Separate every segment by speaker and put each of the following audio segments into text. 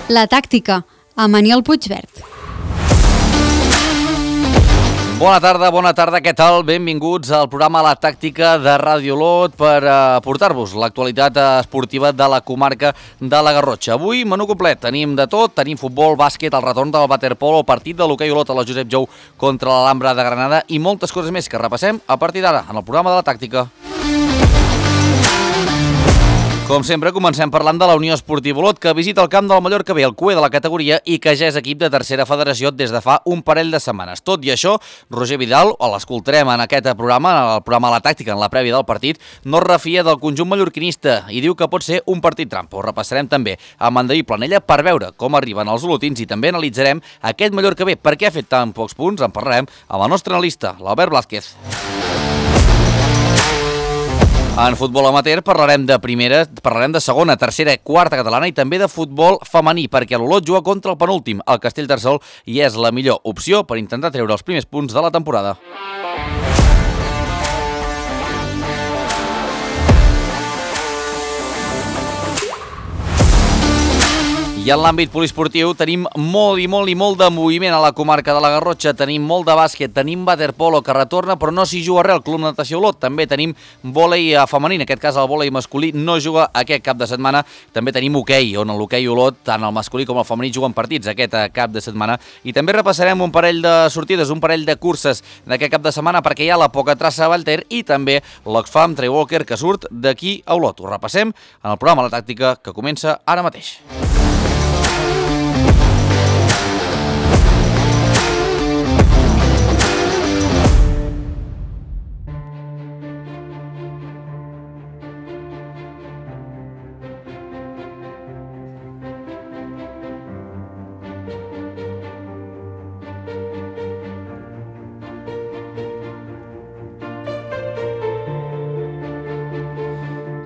Speaker 1: La tàctica, amb Aniol Puigvert.
Speaker 2: Bona tarda, què tal? Benvinguts al programa La Tàctica de Ràdio Olot per portar-vos l'actualitat esportiva de la comarca de la Garrotxa. Avui, menú complet, tenim de tot, tenim futbol, bàsquet, el retorn del waterpolo, el partit de l'hoquei Olot a la Josep Jou contra l'Alhambra de Granada i moltes coses més que repassem a partir d'ara en el programa de La Tàctica. Com sempre, comencem parlant de la Unió Esportiva Olot, que visita el camp del Mallorca B, el cué de la categoria, i que ja és equip de tercera federació des de fa un parell de setmanes. Tot i això, Roger Vidal, l'escoltarem en aquest programa, en el programa La Tàctica, en la prèvia del partit, no es refia del conjunt mallorquinista i diu que pot ser un partit trampa. Ho repassarem també amb en David Planella per veure com arriben els olotins i també analitzarem aquest Mallorca B. Per què ha fet tan pocs punts? En parlarem amb el nostre analista, l'Albert Blázquez. En futbol amateur parlarem de primera, parlarem de segona, tercera, quarta catalana i també de futbol femení, perquè l'Olot juga contra el penúltim, el Castellterçol, i és la millor opció per intentar treure els primers punts de la temporada. I en l'àmbit poliesportiu tenim molt de moviment a la comarca de la Garrotxa, tenim molt de bàsquet, tenim waterpolo que retorna però no s'hi juga res al Club Natació Olot, també tenim vòlei femení, en aquest cas el vòlei masculí no juga aquest cap de setmana, també tenim hoquei, on l'hoquei Olot, tant el masculí com el femení juguen partits aquest cap de setmana i també repassarem un parell de sortides, un parell de curses d'aquest cap de setmana perquè hi ha la Poca Traça a Vallter i també l'Oxfam Trail Walker que surt d'aquí a Olot. Ho repassem en el programa La Tàctica que comença ara mateix.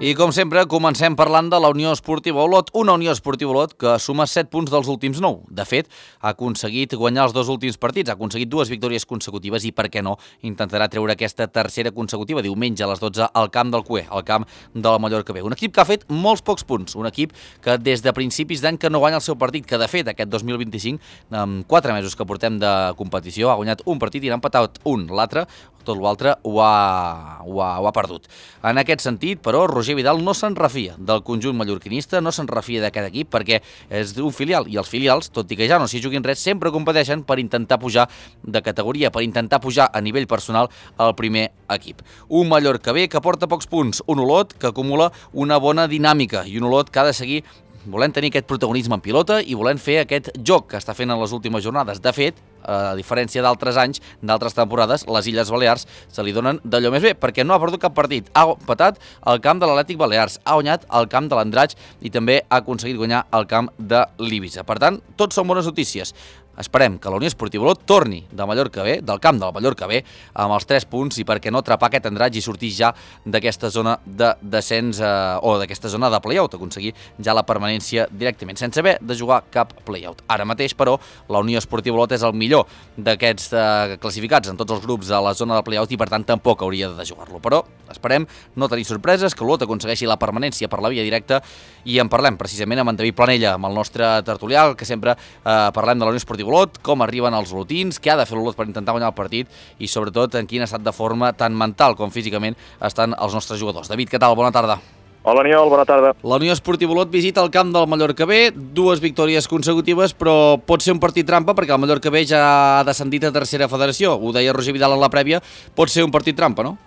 Speaker 2: I com sempre, comencem parlant de la Unió Esportiva Olot, una Unió Esportiva Olot que suma 7 punts dels últims 9. De fet, ha aconseguit guanyar els 2 últims partits, ha aconseguit 2 victòries consecutives i, per què no, intentarà treure aquesta tercera consecutiva diumenge a les 12 al camp del cué, al camp de la Mallorca B. Un equip que ha fet molts pocs punts, un equip que des de principis d'any que no guanya el seu partit, que de fet aquest 2025, amb 4 mesos que portem de competició, ha guanyat un partit i n'ha empatat un, l'altre, tot l'altre ho ha perdut. En aquest sentit, però, Roger Vidal no se'n refia del conjunt mallorquinista, no se'n refia d'aquest equip perquè és un filial i els filials, tot i que ja no s'hi juguin res, sempre competeixen per intentar pujar de categoria, per intentar pujar a nivell personal al primer equip. Un Mallorca B que porta pocs punts, un Olot que acumula una bona dinàmica i un Olot que ha de seguir volent tenir aquest protagonisme en pilota i volent fer aquest joc que està fent en les últimes jornades. De fet, a diferència d'altres anys, d'altres temporades, les Illes Balears se li donen d'allò més bé, perquè no ha perdut cap partit. Ha empatat al camp de l'Atlètic Balears, ha guanyat al camp de l'Andratx i també ha aconseguit guanyar al camp de l'Ibiza. Per tant, tots són bones notícies. Esperem que la Unió Esportiva Olot torni de Mallorca B, del camp del Mallorca B, amb els 3 punts i perquè no atrapar aquest Andratx i sortir ja d'aquesta zona de descens o d'aquesta zona de play-out, aconseguir ja la permanència directament, sense haver de jugar cap play-out. Ara mateix, però, la Unió Esportiva Olot és el millor d'aquests classificats en tots els grups de la zona de play-out i per tant tampoc hauria de jugar-lo. Però esperem no tenir sorpreses, que l'Olot aconsegueixi la permanència per la via directa i en parlem precisament amb en David Planella, amb el nostre tertulià, que sempre parlem de la Unió Esportiva Olot, com arriben els olotins, què ha de fer l'Olot per intentar guanyar el partit i sobretot en quin estat de forma tant mental com físicament estan els nostres jugadors. David, què tal? Bona tarda.
Speaker 3: Hola, Aniol, bona tarda.
Speaker 2: La Unió Esportiva Olot visita el camp del Mallorca B, 2 victòries consecutives, però pot ser un partit trampa perquè el Mallorca B ja ha descendit a tercera federació. Ho deia Roger Vidal en la prèvia, pot ser un partit trampa, no?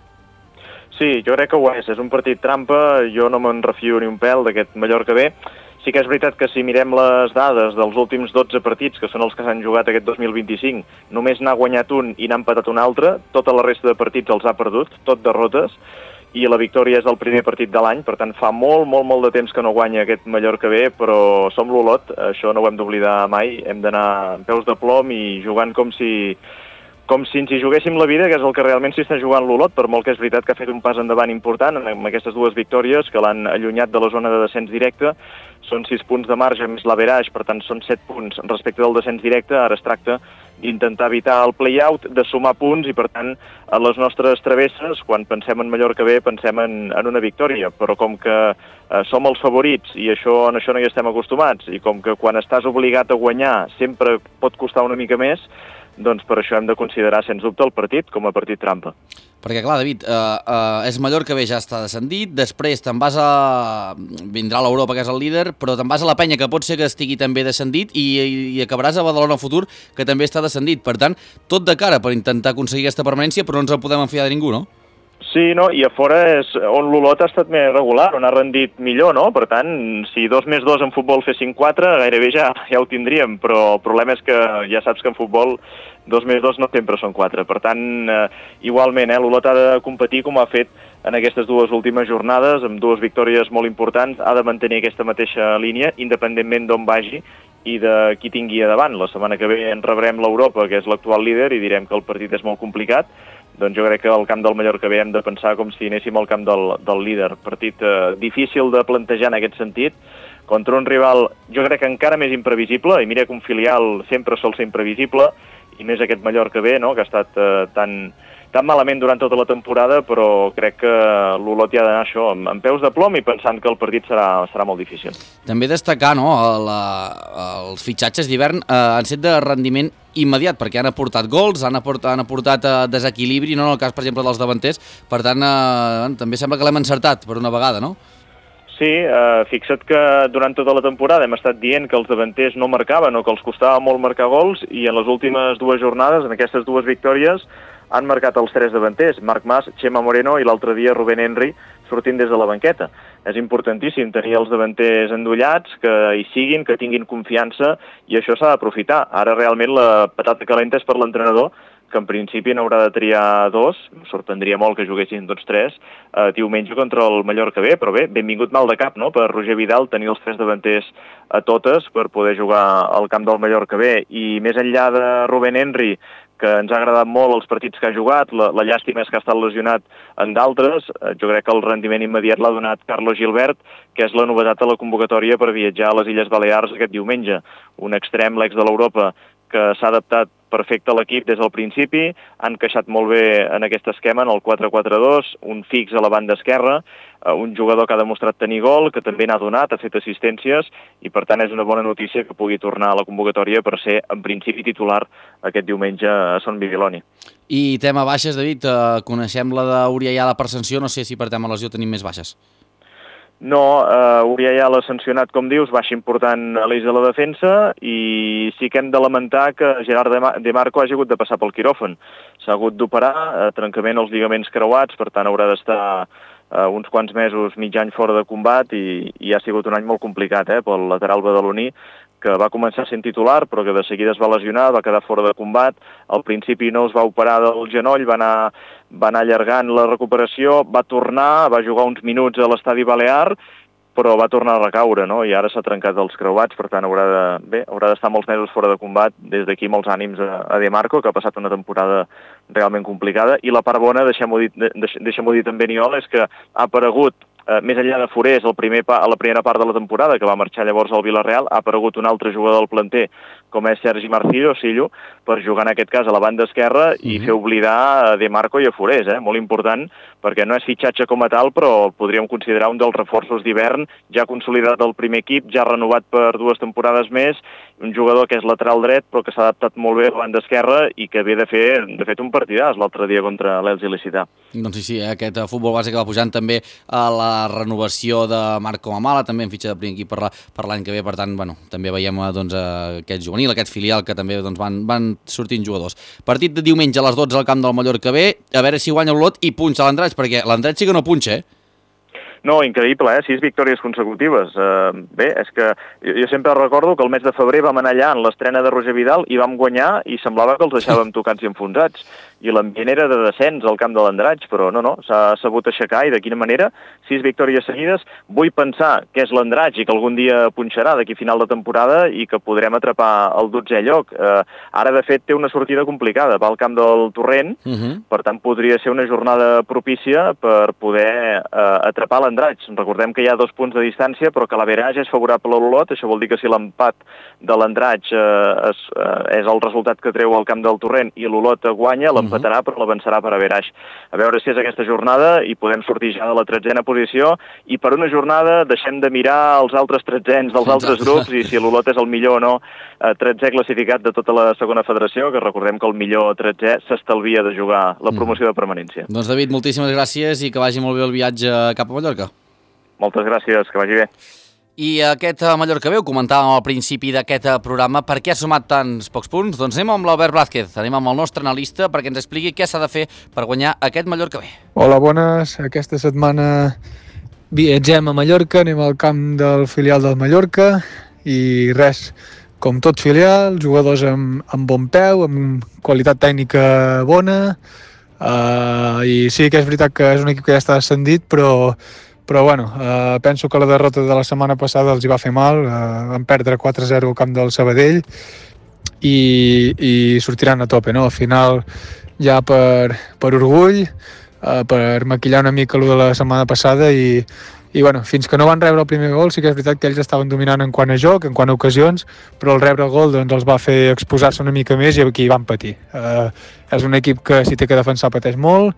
Speaker 3: Sí, jo crec que ho és un partit trampa, jo no me'n refio ni un pèl d'aquest Mallorca B. Sí que és veritat que si mirem les dades dels últims 12 partits, que són els que s'han jugat aquest 2025, només n'ha guanyat un i n'ha empatat un altre, tota la resta de partits els ha perdut, tot derrotes, i la victòria és el primer partit de l'any, per tant fa molt de temps que no guanya aquest Mallorca B, però som l'Olot, això no ho hem d'oblidar mai, hem d'anar amb peus de plom i jugant com si ens hi juguéssim la vida, que és el que realment s'hi està jugant l'Olot, per molt que és veritat que ha fet un pas endavant important amb aquestes 2 victòries que l'han allunyat de la zona de descens directe. Són 6 punts de marge més l'average, per tant són 7 punts respecte del descens directe. Ara es tracta intentar evitar el play-out, de sumar punts i, per tant, a les nostres travesses, quan pensem en Mallorca B, pensem en una victòria, però com que som els favorits i en això no hi estem acostumats, i com que quan estàs obligat a guanyar sempre pot costar una mica més, doncs per això hem de considerar, sens dubte, el partit com a partit trampa.
Speaker 2: Perquè, clar, David, és Mallorca B, ja està descendit, després te'n vas vindrà l'Europa, que és el líder, però te'n vas a la Penya, que pot ser que estigui també descendit, i acabaràs a Badalona Futur, que també està descendit. Per tant, tot de cara per intentar aconseguir aquesta permanència, però no ens en podem enfiar de ningú, no?
Speaker 3: Sí, no? I a fora és on l'Olot ha estat més regular, on ha rendit millor, no? Per tant, si 2 més 2 en futbol fessin 4, gairebé ja ho tindríem, però el problema és que ja saps que en futbol 2 més 2 no sempre són 4. Per tant, igualment, l'Olot ha de competir com ha fet en aquestes 2 últimes jornades, amb 2 victòries molt importants, ha de mantenir aquesta mateixa línia, independentment d'on vagi i de qui tingui a davant. La setmana que ve en rebrem l'Europa, que és l'actual líder, i direm que el partit és molt complicat. Doncs jo crec que al camp del Mallorca B hem de pensar com si anéssim al camp del líder. Partit difícil de plantejar en aquest sentit, contra un rival jo crec que encara més imprevisible, i mira que un filial sempre sol ser imprevisible, i més aquest Mallorca B, no?, que ha estat tan malament durant tota la temporada, però crec que l'Olot hi ha d'anar això, amb peus de plom i pensant que el partit serà molt difícil.
Speaker 2: També destacar, no?, els fitxatges d'hivern han set de rendiment immediat, perquè han aportat gols, han aportat desequilibri, no en el cas, per exemple, dels davanters. Per tant, també sembla que l'hem encertat per una vegada, no?
Speaker 3: Sí, fixa't que durant tota la temporada hem estat dient que els davanters no marcaven o que els costava molt marcar gols, i en les últimes 2 jornades, en aquestes 2 victòries, han marcat els 3 davanters, Marc Mas, Chema Moreno i l'altre dia Rubén Henry sortint des de la banqueta. És importantíssim tenir els davanters endollats, que hi siguin, que tinguin confiança, i això s'ha d'aprofitar. Ara realment la patata calenta és per l'entrenador, que en principi n'haurà de triar 2, em sorprendria molt que juguessin tots 3, diumenge contra el Mallorca B, però bé, benvingut mal de cap, no?, per Roger Vidal tenir els 3 davanters a totes per poder jugar al camp del Mallorca B. I més enllà de Rubén Henry, que ens ha agradat molt els partits que ha jugat, la llàstima és que ha estat lesionat en d'altres, jo crec que el rendiment immediat l'ha donat Carlos Gilbert, que és la novetat de la convocatòria per viatjar a les Illes Balears aquest diumenge. Un extrem, l'ex de l'Europa, que s'ha adaptat perfecte a l'equip des del principi, han encaixat molt bé en aquest esquema, en el 4-4-2, un fix a la banda esquerra, un jugador que ha demostrat tenir gol, que també n'ha donat, ha fet assistències, i per tant és una bona notícia que pugui tornar a la convocatòria per ser, en principi, titular aquest diumenge a Son Bibiloni.
Speaker 2: I tema baixes, David, coneixem la d'Uriayala per sanció, no sé si per tema lesió tenim més baixes.
Speaker 3: No, Uriayala sancionat, com dius, baixa important a l'eix de la defensa, i sí que hem de lamentar que Gerard De Marco hagi hagut de passar pel quiròfan. S'ha hagut d'operar, trencament als lligaments creuats, per tant haurà d'estar uns quants mesos, mig any fora de combat, i ha sigut un any molt complicat pel lateral badaloní, que va començar sent titular, però que de seguida es va lesionar, va quedar fora de combat. Al principi no es va operar del genoll, va anar allargant la recuperació, va tornar, va jugar uns minuts a l'estadi Balear, però va tornar a recaure, no?, i ara s'ha trencat els creuats, per tant haurà d'estar molts mesos fora de combat. Des d'aquí molts ànims a De Marco, que ha passat una temporada realment complicada. I la part bona, deixem-ho dir també, Niol, és que ha aparegut, més enllà de Forés, a la primera part de la temporada, que va marxar llavors al Villarreal, ha aparegut un altre jugador del planter, com és Sergi Marcillo, per jugar en aquest cas a la banda esquerra i fer oblidar a De Marco i a Forés, molt important, perquè no és fitxatge com a tal, però el podríem considerar un dels reforços d'hivern, ja consolidat al primer equip, ja renovat per 2 temporades més, un jugador que és lateral dret, però que s'ha adaptat molt bé a la banda esquerra i que ve de fet un partidàs l'altre dia contra l'Elx Il·licità.
Speaker 2: Doncs sí, aquest futbol base que va pujant també a la renovació de Marco Mamala, també en fitxa de primer equip per l'any que ve, per tant, també veiem aquest juvenil, aquest filial, que també van sortint jugadors. Partit de diumenge a les 12 al camp del Mallorca B, a veure si guanya l'Olot i punxa l'Andratx, perquè l'Andratx sí que no punxa,
Speaker 3: No, increïble, 6 victòries consecutives. Bé, és que jo sempre recordo que el mes de febrer vam anar allà en l'estrena de Roger Vidal i vam guanyar i semblava que els deixàvem tocats i enfonsats. i l'ambient era de descens al camp de l'Andratx, però no, s'ha sabut aixecar i de quina manera, 6 victòries seguides. Vull pensar que és l'Andratx i que algun dia punxarà d'aquí final de temporada i que podrem atrapar el 12è lloc. Ara, de fet, té una sortida complicada, va al camp del Torrent, per tant podria ser una jornada propícia per poder atrapar l'Andratx. Recordem que hi ha 2 punts de distància, però que l'average és favorable a l'Olot, això vol dir que si l'empat de l'Andratx és el resultat que treu al camp del Torrent i l'Olot guanya, l'empatarà però l'avançarà per average. A veure si és aquesta jornada i podem sortir ja de la 13a posició i per una jornada deixem de mirar els altres 13ens dels altres grups i si l'Olot és el millor o no 13è classificat de tota la segona federació, que recordem que el millor 13è s'estalvia de jugar la promoció de permanència.
Speaker 2: Doncs David, moltíssimes gràcies i que vagi molt bé el viatge cap a Mallorca.
Speaker 3: Moltes gràcies, que vagi bé.
Speaker 2: I aquest Mallorca bé, ho comentàvem al principi d'aquest programa, per què ha sumat tants pocs punts? Doncs anem amb l'Albert Blázquez, anem amb el nostre analista perquè ens expliqui què s'ha de fer per guanyar aquest Mallorca bé.
Speaker 4: Hola, bones. Aquesta setmana viatgem a Mallorca, anem al camp del filial del Mallorca i res, com tot filial, jugadors amb bon peu, amb qualitat tècnica bona, i sí que és veritat que és un equip que ja està ascendit, però bueno, penso que la derrota de la setmana passada els hi va fer mal, van perdre 4-0 al camp del Sabadell i sortiran a tope, no? Al final, ja per orgull, per maquillar una mica el de la setmana passada i bueno, fins que no van rebre el primer gol sí que és veritat que ells estaven dominant en quant a joc, en quant a ocasions, però el rebre el gol doncs, els va fer exposar-se una mica més i aquí van patir. És un equip que si té que defensar pateix molt,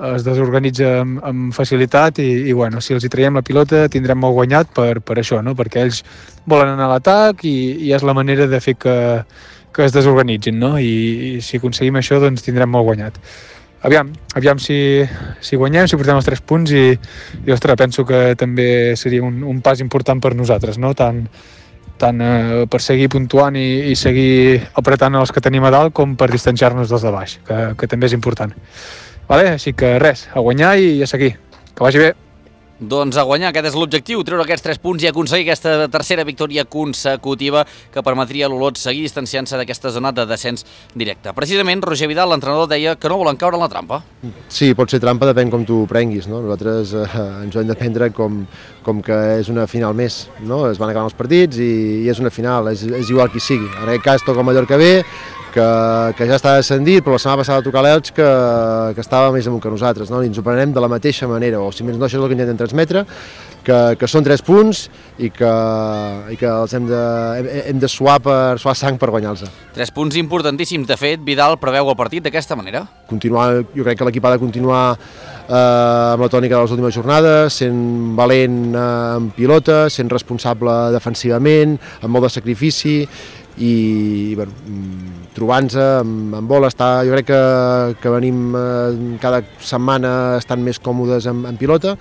Speaker 4: es desorganitza amb facilitat i bueno, si els hi traiem la pilota tindrem molt guanyat per això, no? Perquè ells volen anar a l'atac i és la manera de fer que es desorganitzin, no? I si aconseguim això doncs tindrem molt guanyat. Aviam si guanyem, si portem els 3 punts i ostres, penso que també seria un pas important per nosaltres, no? Tant per seguir puntuant i seguir apretant els que tenim a dalt com per distanciar-nos dels de baix, que també és important. Vale? Així que res, a guanyar i a seguir. Que vagi bé.
Speaker 2: Doncs a guanyar, aquest és l'objectiu, treure aquests 3 punts i aconseguir aquesta tercera victòria consecutiva que permetria a l'Olot seguir distanciant-se d'aquesta zona de descens directe. Precisament, Roger Vidal, l'entrenador, deia que no volen caure en la trampa.
Speaker 5: Sí, pot ser trampa, depèn com tu ho prenguis, no? Nosaltres ens ho hem de prendre com que és una final més, no? Es van acabant els partits i és una final, és igual qui sigui. En aquest cas toca el Mallorca B, que ja està descendit, però la setmana passada va tocar l'Elx que estava més amunt que nosaltres, no? I ens ho prenem de la mateixa manera, o si més no, això és el que intentem transmetre, que són 3 punts i que els hem de suar sang per guanyar-los.
Speaker 2: 3 punts importantíssims. De fet, Vidal preveu el partit d'aquesta manera.
Speaker 5: Continuar, jo crec que l'equip ha de continuar amb la tònica de les últimes jornades, sent valent en pilota, sent responsable defensivament, amb molt de sacrifici i bueno, trobant-se amb bola. Jo crec que venim cada setmana estant més còmodes en pilota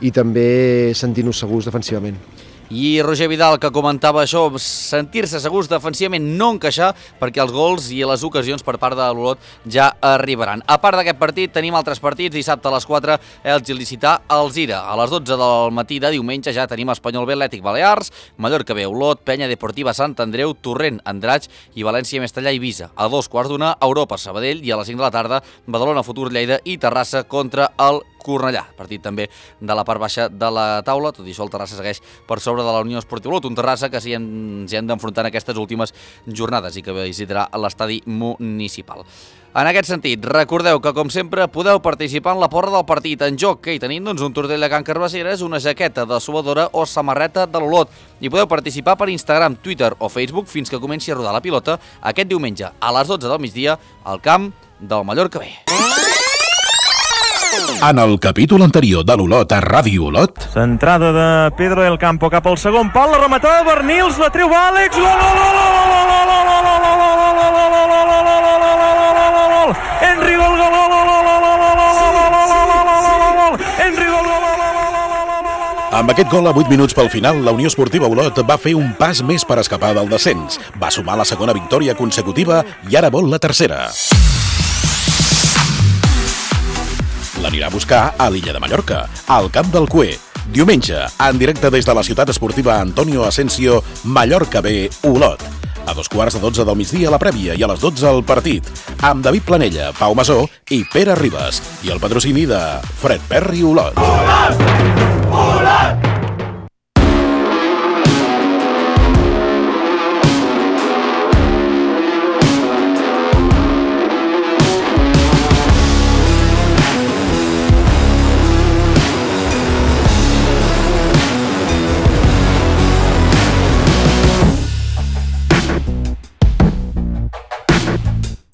Speaker 5: i també sentir-nos segurs defensivament.
Speaker 2: I Roger Vidal, que comentava això, sentir-se segurs defensivament, no encaixar, perquè els gols i les ocasions per part de l'Olot ja arribaran. A part d'aquest partit, tenim altres partits. Dissabte a les 4, Elx Il·licità Alzira. A les 12 del matí de diumenge ja tenim Espanyol B, Atlètic Balears, Mallorca B, Olot, Penya Deportiva Sant Andreu, Torrent, Andratx i València Mestallà Eivissa. A 2:15, Europa Sabadell, i a les 5 de la tarda, Badalona Futur Lleida i Terrassa contra el Cornellà. Partit també de la part baixa de la taula. Tot i això, el Terrassa segueix per sobre de la Unió Esportiva Olot, un Terrassa que s'hi hem d'enfrontar en aquestes últimes jornades i que visitarà l'estadi municipal. En aquest sentit, recordeu que, com sempre, podeu participar en la porra del partit. En joc que hi tenim doncs, un tortell de Can Carbasseres, una jaqueta de suadora o samarreta de l'Olot. I podeu participar per Instagram, Twitter o Facebook fins que comenci a rodar la pilota aquest diumenge a les 12 del migdia al camp del Mallorca B.
Speaker 6: En el capítol anterior de l'Olot a Ràdio Olot...
Speaker 7: Centrada de Pedro del Campo cap al segon pal, la rematada Bernils, la treu Àlex, gol! Henry, gol! Henry, gol!
Speaker 6: Amb aquest gol a 8 minuts pel final, la Unió Esportiva Olot va fer un pas més per escapar del descens. Va sumar la segona victòria consecutiva i ara vol la tercera. L'anirà a buscar a l'illa de Mallorca, al camp del Cué. Diumenge, en directe des de la ciutat esportiva Antonio Asensio, Mallorca B, Olot. A 2:15 del migdia la prèvia i a les 12 el partit. Amb David Planella, Pau Masó i Pere Ribas. I el patrocini de Fred Perry Olot.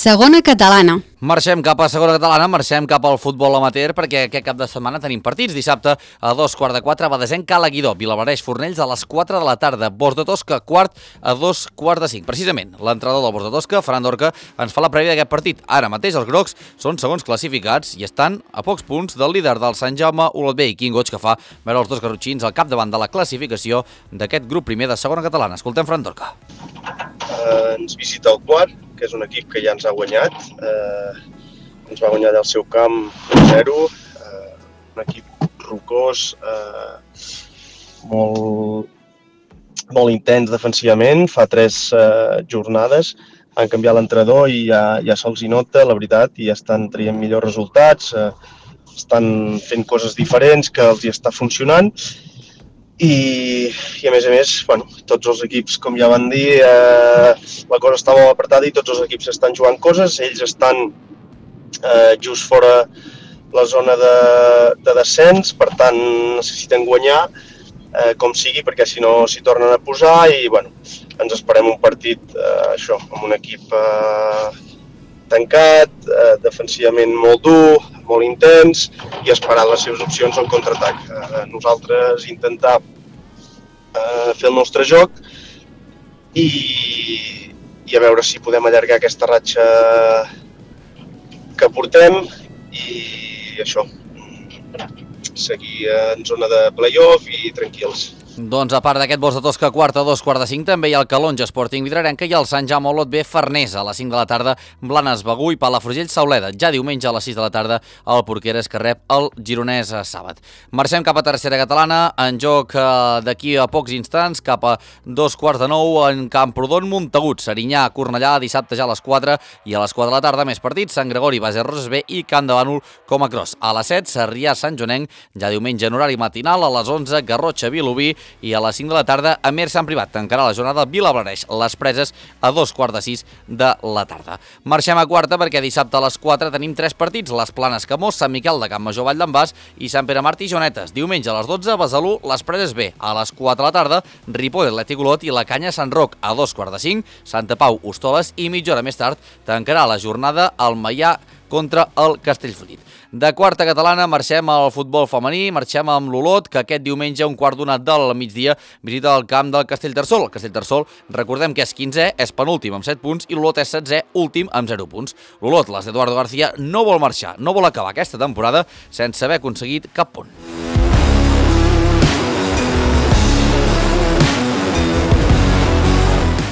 Speaker 1: Segona catalana.
Speaker 2: Marxem cap a segona catalana, marxem cap al futbol amateur perquè aquest cap de setmana tenim partits. Dissabte a 2:15, Badesenc Cala-Guidó, Vilablareix Fornells a les 4 de la tarda, Bors de Tosca quart a 2:45. Precisament, l'entrenador del Bors de Tosca, Ferran Dorca, ens fa la prèvia d'aquest partit. Ara mateix els grocs són segons classificats i estan a pocs punts del líder del Sant Jaume Olot B, i quin goig que fa veure els dos garrotxins al capdavant de la classificació d'aquest grup primer de segona catalana. Escoltem Ferran Dorca.
Speaker 8: Ens visita el Quart, que és un equip que ja ens ha guanyat. Ens va guanyar allà al seu camp 1-0. Un equip rocós, molt intens defensivament. Fa 3 jornades han canviat l'entrenador i ja se'ls hi nota, la veritat, i estan traient millors resultats. Estan fent coses diferents que els hi està funcionant. I a més, bueno, tots els equips, com ja van dir, la cosa està molt apretada i tots els equips estan jugant coses. Ells estan just fora la zona de descens, per tant necessiten guanyar com sigui, perquè si no s'hi tornen a posar i bueno, ens esperem un partit amb un equip tancat, defensivament molt dur, molt intens i esperant les seves opcions al contraatac. Nosaltres intentar fer el nostre joc i a veure si podem allargar aquesta ratxa que portem i això, seguir en zona de play-off i tranquils.
Speaker 2: Doncs a part d'aquest Bors de Tosca quart a 2:45 també hi ha el Calonja Sporting Vilarenca i el Sant Jaume Olot B Farners a les 5 de la tarda, Blanes Begur i Palafrugell Sauleda. Ja diumenge a les 6 de la tarda el Porqueres que rep el Gironès a Sàbat. Marxem cap a tercera catalana, en joc d'aquí a pocs instants, cap a 2:15 en Camprodon Montagut, Serinyà, Cornellà, dissabte ja a les 4 i a les 4 de la tarda més partits, Sant Gregori, Base Roses B i Camp de Bànol com a cross. A les 7, Sarrià, Sant Joanenc, ja diumenge en horari matinal, a les 11, Garrotxa, Vilobí i a les 5 de la tarda a Mer Sant Privat. Tancarà la jornada Vilablareix, les Preses a 2:15 de la tarda. Marxem a quarta perquè dissabte a les 4 tenim 3 partits, les Planes Camós, Sant Miquel de Campmajor, Vall d'en Bas i Sant Pere Martí i Jonetes. Diumenge a les 12, Besalú, les Preses B. A les 4 de la tarda, Ripoll, Atlètic Olot i la Canya Sant Roc. A 2:45, Santa Pau, Hostoles i mitja hora més tard tancarà la jornada el Maià contra el Castellfollit. De quarta catalana marxem al futbol femení, marxem amb l'Olot, que aquest diumenge a 1:15 del migdia visita el camp del Castellterçol. El Castellterçol, recordem que és 15è, és penúltim amb 7 punts i l'Olot és 16è, últim amb 0 punts. L'Olot, les d'Eduardo García, no vol marxar, no vol acabar aquesta temporada sense haver aconseguit cap punt.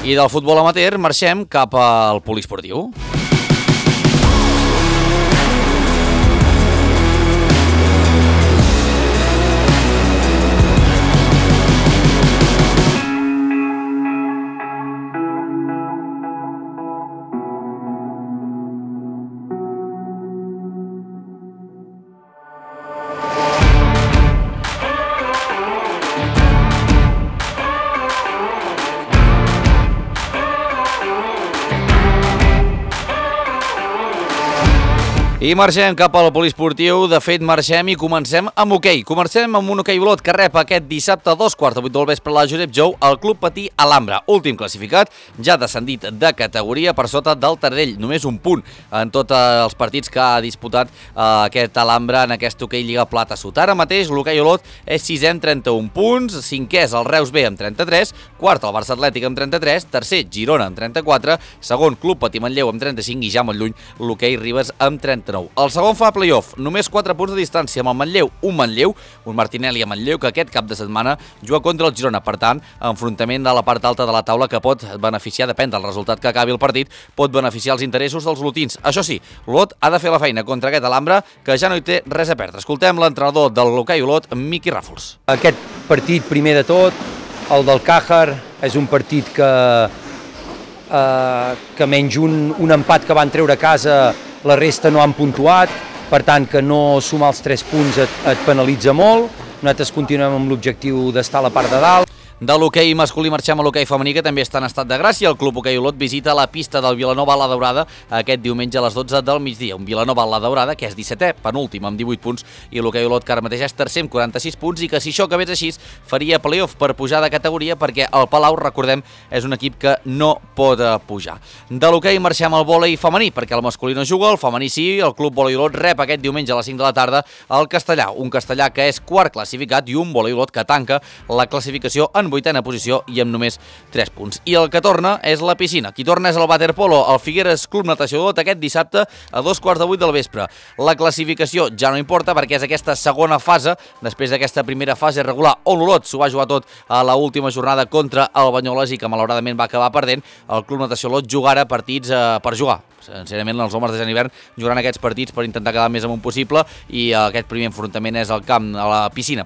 Speaker 2: I del futbol amateur marxem cap al poliesportiu. I marxem cap al poliesportiu, de fet marxem i comencem amb hoquei. Comencem amb un hoquei Olot que rep aquest dissabte a 2:15 del vespre a la Josep Jou al Club Patí Alhambra. Últim classificat, ja descendit de categoria per sota del Taradell. Només un punt en tots els partits que ha disputat aquest Alhambra en aquest hoquei Lliga Plata Sud. Ara mateix l'hoquei Olot és 6è amb 31 punts, 5è és el Reus B amb 33, quart el Barça Atlètic amb 33, tercer Girona amb 34, segon Club Patí Manlleu amb 35 i ja molt lluny l'hoquei Ribes amb 39. El segon fa playoff, només 4 punts de distància amb el Manlleu, un Martinelli a Manlleu que aquest cap de setmana juga contra el Girona. Per tant, enfrontament de la part alta de la taula que pot beneficiar, depèn del resultat que acabi el partit, pot beneficiar els interessos dels olotins. Això sí, l'Olot ha de fer la feina contra aquest Alhambra que ja no hi té res a perdre. Escoltem l'entrenador del l'hoquei Olot, Miqui Ràfols.
Speaker 9: Aquest partit, primer de tot, el del Càjar, és un partit que que menys un empat que van treure a casa, la resta no han puntuat, per tant que no sumar els 3 punts et penalitza molt. Nosaltres continuem amb l'objectiu d'estar a la part de dalt.
Speaker 2: De l'hoquei masculí marxem a l'hoquei femení, que també està en estat de gràcia. El Club Hoquei Olot visita la pista del Vilanova a la Daurada aquest diumenge a les 12 del migdia. Un Vilanova a la Daurada que és 17è, penúltim, amb 18 punts, i l'hoquei Olot que ara mateix és tercer amb 46 punts, i que si això acabés així faria playoff per pujar de categoria, perquè el Palau, recordem, és un equip que no pot pujar. De l'hoquei marxem al vòlei femení, perquè el masculí no juga, el femení sí. El Club Vòlei Olot rep aquest diumenge a les 5 de la tarda el Castellà, un Castellà que és quart classificat i un Vòlei Olot que tanca la classificació en 8a posició i amb només 3 punts. I el que torna és la piscina. Qui torna és el waterpolo, el Figueres Club Natació Olot, aquest dissabte a 2:15 del vespre. La classificació ja no importa perquè és aquesta segona fase, després d'aquesta primera fase regular on l'Olot s'ho va jugar tot a l'última jornada contra el Banyoles i que malauradament va acabar perdent. El Club Natació Olot jugarà partits per jugar. Sincerament, els homes de Sant Hivern jugaran aquests partits per intentar quedar més amunt possible, i aquest primer enfrontament és al camp, a la piscina,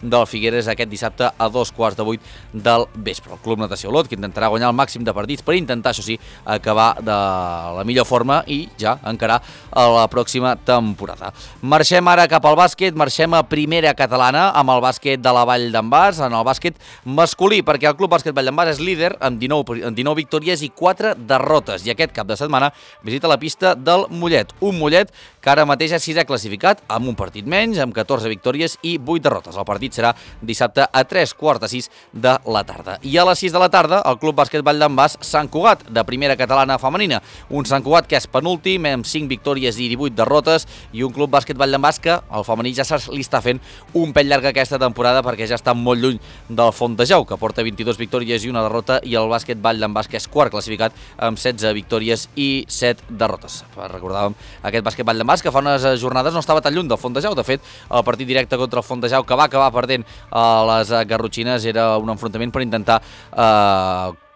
Speaker 2: del Figueres aquest dissabte a 2:15 del vespre. El Club Natació Olot, que intentarà guanyar el màxim de partits per intentar, això sí, acabar de la millor forma i ja encarar a la pròxima temporada. Marxem ara cap al bàsquet, marxem a primera catalana amb el bàsquet de la Vall d'en Bas, en el bàsquet masculí, perquè el Club Bàsquet Vall d'en Bas és líder amb 19 victòries i 4 derrotes, i aquest cap de setmana visita la pista del Mollet, un Mollet que ara mateix és 6è classificat amb un partit menys, amb 14 victòries i 8 derrotes. El partit serà dissabte a 3:15 de la tarda. I a les 6 de la tarda, el Club Bàsquet Vall d'en Bas Sant Cugat, de primera catalana femenina. Un Sant Cugat que és penúltim, amb 5 victòries i 18 derrotes, i un Club Bàsquet Vall d'en Bas que el femení ja li està fent un pèl llarg aquesta temporada, perquè ja està molt lluny del Fontejau, que porta 22 victòries i una derrota, i el Bàsquet Vall d'en Bas, que és quart classificat amb 16 victòries i 7 derrotes. Recordàvem aquest Bàsquet Vall d'en Bas que fa unes jornades no estava tan lluny del Fontejau. De fet, el partit directe contra el Fontejau, que va acabar perdent a les garrotxines, era un enfrontament per intentar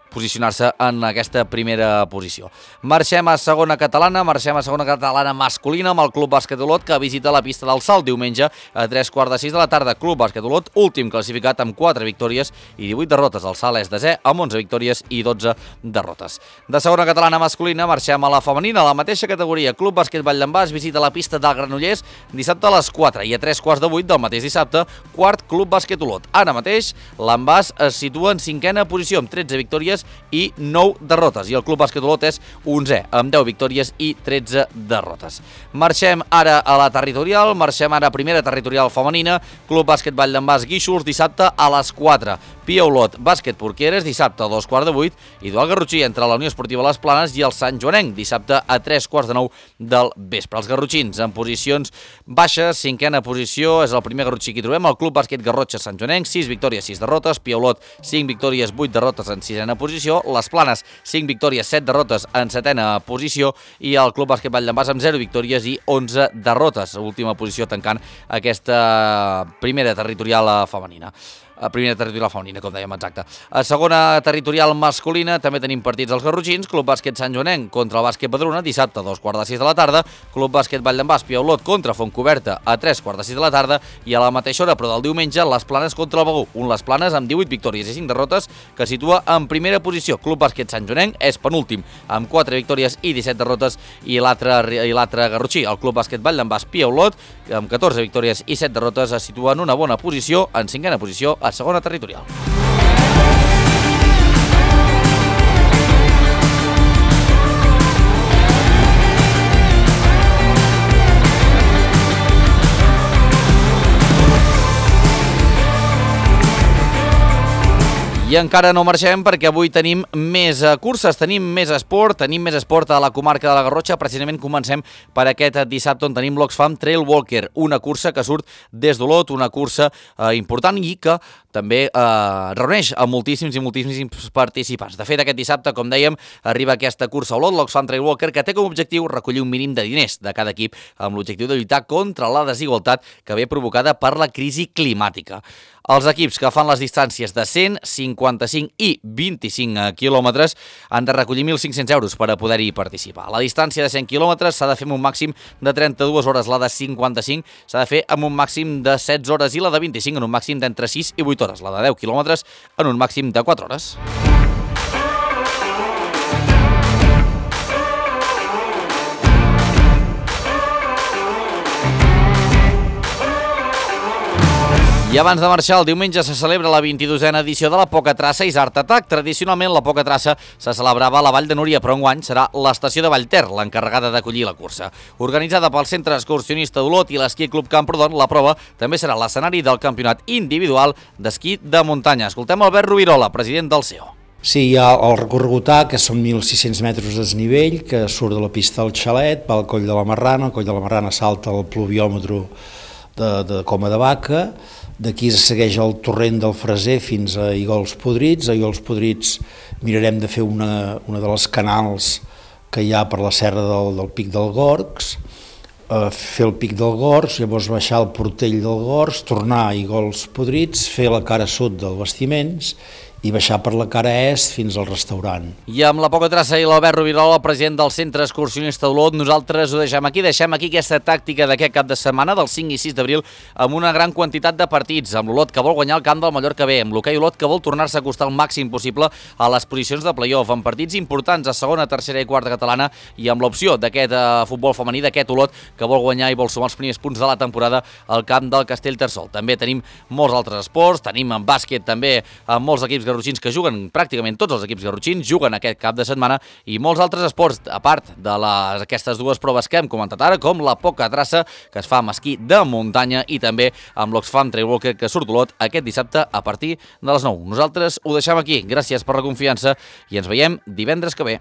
Speaker 2: posicionar-se en aquesta primera posició. Marxem a segona catalana masculina amb el Club Bàsquet Olot, que visita la pista del Salt diumenge a 3:15 de la tarda. Club Bàsquet Olot, últim classificat amb 4 victòries i 18 derrotes. El Salt és desè amb 11 victòries i 12 derrotes. De segona catalana masculina marxem a la femenina, a la mateixa categoria. Club Bàsquet Vall d'en Bas visita la pista del Granollers dissabte a les 4, i a 3:15 del mateix dissabte, quart Club Bàsquet Olot. Ara mateix l'Envàs es situa en 5a posició amb 13 victòries i 9 derrotes, i el Club Bàsquet Olot és 11è amb 10 victòries i 13 derrotes. Marxem ara a la territorial, marxem ara a primera territorial femenina. Club Bàsquet Vall d'en Bas Guíxols dissabte a les 4, Pia Olot Bàsquet Porqueres dissabte a 2:15, i duel garrotxí entre la Unió Esportiva Les Planes i el Sant Joanenc dissabte a 3:15 del vespre. Els garrotxins en posicions baixes, 5a posició, és el primer garrotxí que hi trobem, el Club Bàsquet Garrotxa Sant Joanenc, 6 victòries, 6 derrotes, Pia Olot 5 victòries, 8 derrotes en 6a posició, Les Planes 5 victòries, 7 derrotes en 7a posició, i el Club Bàsquet Vall d'en Bas amb 0 victòries i 11 derrotes, última posició tancant aquesta primera territorial femenina. Com dèiem, exacte. A segona territorial masculina també tenim partits als garrotxins. Club Bàsquet Sant Joanenc contra el Bàsquet Badruna dissabte a 2:15 de la tarda, Club Bàsquet Vall d'en Bas Pia Olot contra Fontcoberta a 3:15 de la tarda, i a la mateixa hora, però del diumenge, Les Planes contra el Begur, un Les Planes amb 18 victòries i 5 derrotes que situa en primera posició. Club Bàsquet Sant Joanenc és penúltim amb 4 victòries i 17 derrotes, i l'altre garrotxí, el Club Bàsquet Vall d'en Bas Pia Olot, amb 14 victòries i 7 derrotes, es situa en una bona posició, en 5a posició, a segona territorial. I encara no marxem perquè avui tenim més curses, tenim més esport a la comarca de la Garrotxa. Precisament comencem per aquest dissabte on tenim l'Oxfam Trail Walker, una cursa que surt des d'Olot, una cursa important i que també reuneix a moltíssims participants. De fet, aquest dissabte, com dèiem, arriba aquesta cursa a Olot, l'Oxfam Trail Walker, que té com a objectiu recollir un mínim de diners de cada equip amb l'objectiu de lluitar contra la desigualtat que ve provocada per la crisi climàtica. Els equips que fan les distàncies de 100, 55 i 25 quilòmetres han de recollir 1.500 euros per a poder-hi participar. La distància de 100 quilòmetres s'ha de fer amb un màxim de 32 hores, la de 55 s'ha de fer amb un màxim de 16 hores i la de 25 en un màxim d'entre 6 i 8 hores, la de 10 quilòmetres en un màxim de 4 hores. I abans de marxar, el diumenge se celebra la 22a edició de la Poca Traça i Art Attack. Tradicionalment, la Poca Traça se celebrava a la Vall de Núria, però enguany serà l'estació de Vallter l'encarregada d'acollir la cursa. Organitzada pel Centre Excursionista d'Olot i l'Esquí Club Camprodon, la prova també serà l'escenari del campionat individual d'esquí de muntanya. Escoltem Albert Rovirola, president del CEO.
Speaker 10: Sí, hi ha el recorregut A, que són 1.600 metres de desnivell, que surt de la pista del Xalet, va al Coll de la Marrana, el Coll de la Marrana salta al pluviòmetre de Coma de Vaca, d'aquí es segueix el torrent del Freser fins a Igols Podrits. A Igols Podrits mirarem de fer una de les canals que hi ha per la serra del Pic del Gorgs, fer el Pic del Gorgs, llavors baixar al Portell del Gorgs, tornar a Igols Podrits, fer la cara sud del Bastiments i baixar per la cara est fins al restaurant.
Speaker 2: I amb la Poca Traça i l'Albert Rovirola, president del Centre Excursionista d'Olot, nosaltres ho deixem aquí aquesta tàctica d'aquest cap de setmana, del 5 i 6 d'abril, amb una gran quantitat de partits, amb l'Olot que vol guanyar el camp del Mallorca B, amb l'hoquei Olot que vol tornar-se a acostar el màxim possible a les posicions de play-off, amb partits importants a segona, tercera i quarta catalana, i amb l'opció d'aquest futbol femení, d'aquest Olot que vol guanyar i vol sumar els primers punts de la temporada al camp del Castellterçol. També tenim molts altres esports, tenim en bàsquet també amb molts equips garrotxins que juguen, pràcticament tots els equips garrotxins juguen aquest cap de setmana, i molts altres esports, a part d'aquestes dues proves que hem comentat ara, com la Poca Traça, que es fa amb esquí de muntanya, i també amb l'Oxfam Trail Walker, que surt d'Olot aquest dissabte a partir de les 9. Nosaltres ho deixem aquí. Gràcies per la confiança i ens veiem divendres que ve.